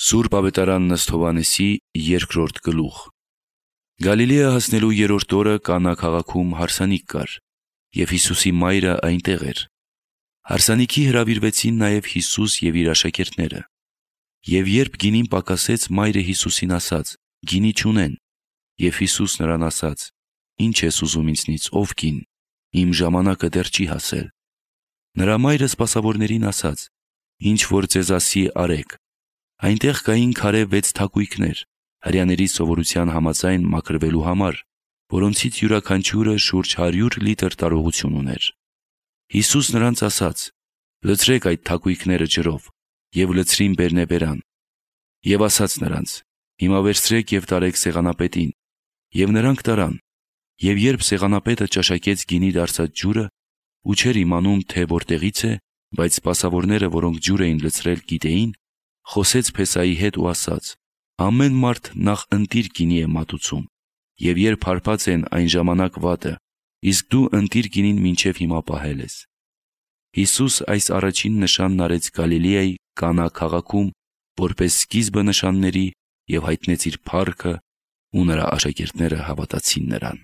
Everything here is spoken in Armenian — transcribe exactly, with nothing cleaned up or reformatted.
Սուրբ ավետարան Ըստ Հովհաննեսի երկրորդ գլուխ։ Գալիլեա հասնելու երրորդ օրը Կանա քաղաքում հարսանիք կար, և Հիսուսի մայրը այնտեղ էր։ Հարսանիքի հրավիրվեցին նաև Հիսուս և իր աշակերտները։ Եվ երբ գինին պակասեց, մայրը Հիսուսին ասաց. «Գինի չունեն»։ Եվ Հիսուս նրան ասաց. «Ի՞նչ ես ուզում ինձնից, ով կին, իմ ժամանակը դեռ չի հասել»։ Նրա մայրը սպասավորներին ասաց. «Ինչ որ ձեզ ասի, արեք»։ Այնտեղ կային քարե վեց թակույկներ, հրեաների սովորության համաձայն մաքրվելու համար, որոնցից յուրաքանչյուրը շուրջ հարյուր լիտր տարողություն ուներ։ Հիսուս նրանց ասաց. «Լցրեք այդ թակույկները ջրով», և լցրին բերնեբերան։ Եվ ասաց նրանց. «Հիմա վերցրեք և տարեք սեղանապետին»։ Եվ նրանք տարան։ Եվ երբ սեղանապետը ճաշակեց գինի դարձած ջուրը, ու չէր իմանում, թե որտեղից է, բայց սպասավորները, որոնք ջուր էին լցրել, գիտեին, խոսեց փեսայի հետ ու ասաց. «Ամեն մարդ նախ ընտիր գինի է մատուցում, և երբ հարբած են, այն ժամանակ վատը, իսկ դու ընտիր գինին մինչև հիմա պահել ես»։ Հիսուս այս առաջին նշանն արեց Գալիլեայի Կանա քաղաքում, որպես սկիզբը նշանների, և հայտնեց իր փառքը, ու նրա աշակերտները հավատացին նրան։